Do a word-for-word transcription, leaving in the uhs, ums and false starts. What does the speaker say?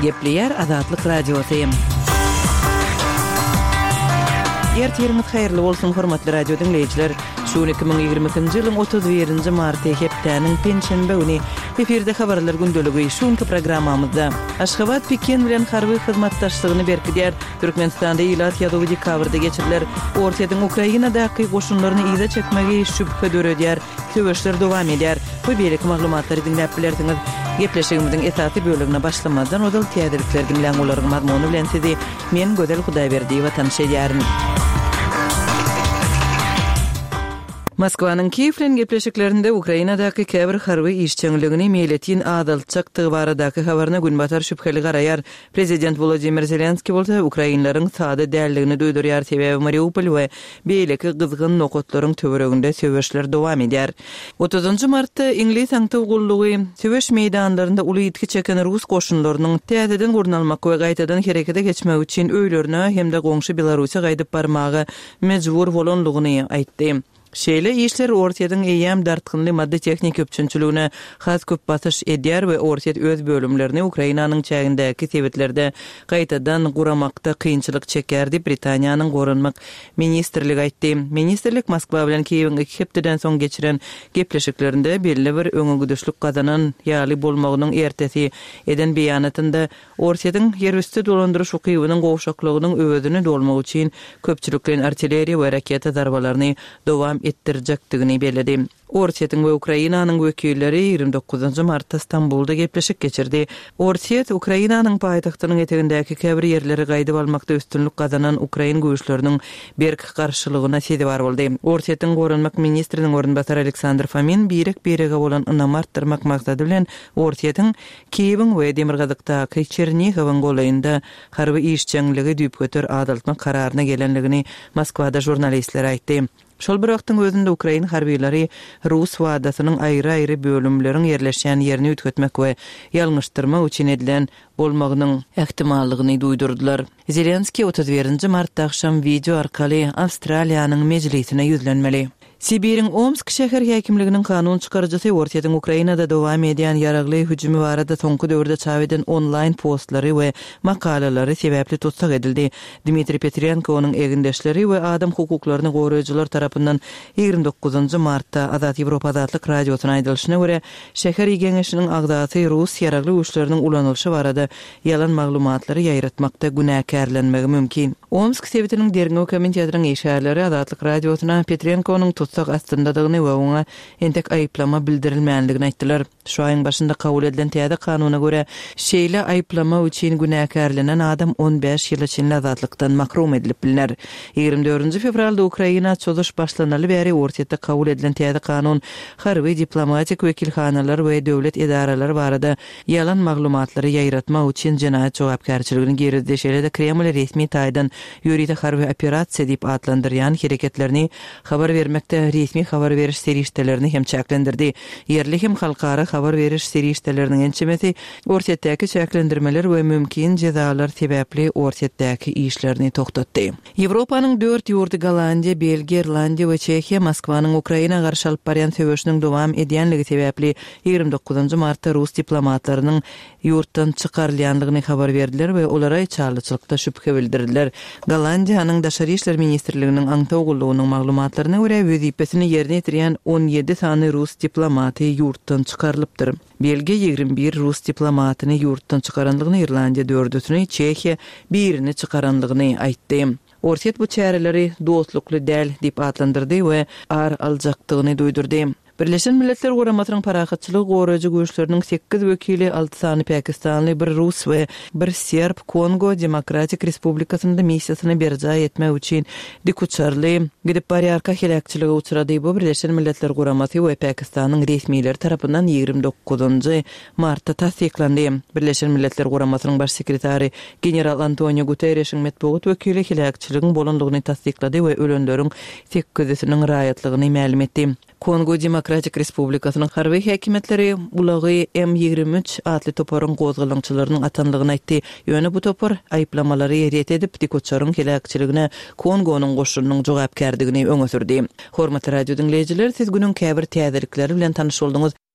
Gepleýär Azatlyk Radiosy. Ertiriňiz haýyrly bolsun, hormatly radio diňleýjiler. Şu gün iki müň ýigrimi ikinji ýylyň otuz birinji marty, hepdäniň penşenbe güni. Efirde habarlar gündeligi. Şu günki programmamyzda Aşgabat Pekin bilen harby hyzmatdaşlygyny berkidýär. Türkmenistanda ilat ýazuwy dekabrda geçiriler. Orsýetiň Ukrainadaky goşunlaryny yza çekmegi şübhe döredýär. Söweşler dowam edýär. We beýleki maglumatlary diňläp bilersiňiz. Gepleşigimiziň esasy bölegine başlamazdan ozal täzelikleri diňläň, olaryň mazmuny bilen sizi men Gözel Hudaýberdiýewa tanyş edýärin. Moskwanyň Kiýew bilen gepleşiklerinde Ukrainadaky käbir harby işjeňligini meýletin azaltjakdygy baradaky habaryna Günbatar şübheli garaýar. Prezident Wolodymyr Zelenskiý bolsa ukrainleriň sada däldigini duýdurýar, sebäbi Mariupol we beýleki gyzgyn nokatlaryň töwereginde söweşler dowam edýär. Otuzynjy martda iňlis aňtaw gullugy söweş meýdanlarynda uly ýitgi çeken rus goşunlarynyň täzeden gurnalmak we gaýtadan herekete geçmek üçin öýlerine hem-de goňşy Belarusa gaýdyp barmaga mejbur bolanlygyny aýtdy. Şeýle işler Orsýetiň eýýäm dartgynly maddy-tehniki üpjünçiligine has köp basyş edýär we Orsýet öz bölümlerini Ukrainanyň çägindäki sebitlerde gaýtadan guramakda kynçylyk çekýär diýip, Britaniýanyň Goranmak ministrligi aýtdy. Ministrlik Moskwa bilen Kiýewiň iki hepdeden soň geçiren gepleşiklerinde belli bir öňegidişlik gazanan ýaly bolmagynyň ertesi eden beýanatynda Orsýetiň ýerüsti dolandyryş ukybynyň gowşaklygynyň öwezini dolmak üçin köpçülikleýin artilleriýa we raketa zarbalaryny dowam etdirjekdigini belledi. Orsýetiň we Ukrainanyň wekilleri ýigrimi dokuzynjy martda Stambulda gepleşik geçirdi. Orsýet Ukrainanyň paýtagtynyň etegindäki käbir ýerleri gaýdyp almakda üstünlik gazanan ukrain güýçleriniň berk garşylygyna sezewar boldy. Orsýetiň goranmak ministriniň orunbasary Aleksandr Fomin birek-birege bolan ynamy artdyrmak maksady bilen Orsýetiň Kiýewiň we demirgazykdaky Çernihowyň golaýynda harby işjeňligi düýpgöter azaltmak kararyna gelenligini Moskwada žurnalistlere aýtdy. Şol bir wagtyň özünde ukrain harbylary rus wadasynyň aýry-aýry bölümleriň ýerleşýän ýerini üýtgetmek we ýalňyşdyrmak üçin edilen bolmagynyň ähtimallygyny duýdurdylar. Zelenskiý otuz birinji martda agşam wideo arkaly Awstraliýanyň mejlisine ýüzlenmeli. Sibiriň Omsk şäher häkimliginiň kanun çykaryjysy Orsýetiň Ukrainada dowam edýän ýaragly hüjümi barada soňky döwürde çap eden onlaýn postlary we makalalary sebäpli tussag edildi. Dmitriý Petrenko onuň egindeşleri we adam hukuklaryny goraýjylar tarapyndan ýigrimi dokuzynjy martda Azat Ýewropa Azatlyk Radiosyna aýdylyşyna görä, şäher geňeşiniň agzasy rus ýaragly güýçleriniň ulanylyşy barada ýalan maglumatlary ýaýratmakda günäkärlenmegi mümkin. Omsk sebitiniň derňew komitetiniň işgärleri Azatlyk Radiosyna Petrenkonyň tussag astyndadygyny we oňa entek aýyplama bildirilmändigini aýtdylar. Şu aýyň başynda kabul edilen täze kanuna görä, şeýle aýyplama üçin günäkärlenen adam on bäş ýyla çenli azatlykdan mahrum edilip bilner. Ýigrimi dördünji fewralda Ukraina çozuş başlanaly bäri Orsýetde kabul edilen täze kanun harby diplomatik wekilhanalar we döwlet edaralary barada ýalan maglumatlary ýaýratmak üçin jenaýat jogapkärçiligini girizdi, şeýle-de Kreml resmi taýdan ýörite harby operasiýa diýip atlandyrýan hereketlerini habar bermekde resmi habar beriş serişdelerini hem çäklendirdi. Ýerli hem halkara habar beriş serişdeleriniň ençemesi Orsýetdäki çäklendirmeler we mümkin jezalar sebäpli Orsýetdäki işlerini togtatdy. Ýewropanyň dört ýurdy Gollandiýa, Belgiýa, Irlandiýa we Çehiýa Moskwanyň Ukraina garşy alyp barýan söweşiniň dowam edýänligi sebäpli ýigrimi dokuzynjy martda rus diplomatlarynyň ýurtdan çykarylýandygyny habar berdiler we olara içalyçylykda şübhe bildirdiler. Gollandiýanyň Daşary işler ministrliginiň aňtaw gullugynyň maglumatlaryna görä, wezipesini ýerine ýetirýän on ýedi sany rus diplomaty ýurtdan çykarylypdyr. Belgiýa ýigrimi bir rus diplomatyny ýurtdan çykarandygyny, Irlandiýa dördüsini, Çehiýa birini çykarandygyny aýtdy. Orsýet bu çäreleri dostlukly däl diýip atlandyrdy we ar aljakdygyny duýdurdy. Birleşen Milletler Guramasynyň parahatçylygy goraýjy güýçleriniň sekiz wekili, alty sany pakistanly, bir rus we bir serb Kongo Demokratik Respublikasynda missiýasyny berjaý etmek üçin dikuçarly gidip barýarka heläkçilige uçrady. Bu Birleşen Milletler Guramasy we Pakistanyň resmileri tarapyndan ýigrimi dokuzynjy martda tassyklandy. Birleşen Milletler Guramasynyň baş sekretary general Antonio Guterreşiň metbugat wekili heläkçiligiň bolandygyny tassyklady we ölenleriň sekizisiniň raýatlygyny mälim etdi. Kongo Demokratik Respublikasynyň harby häkimiýetleri ulagy M ýigrimi üç atly toparyň gozgalaňçylarynyň atanlygyny aýtdy. Ýöne bu topar aýyplamalary ret edip, dikuçaryň heläkçiligine Kongonyň goşunynyň jogapkärdigini öňe sürdi. Hormatly radio diňleýjiler, siz günüň käbir täzelikleri bilen tanyş bolduňyz.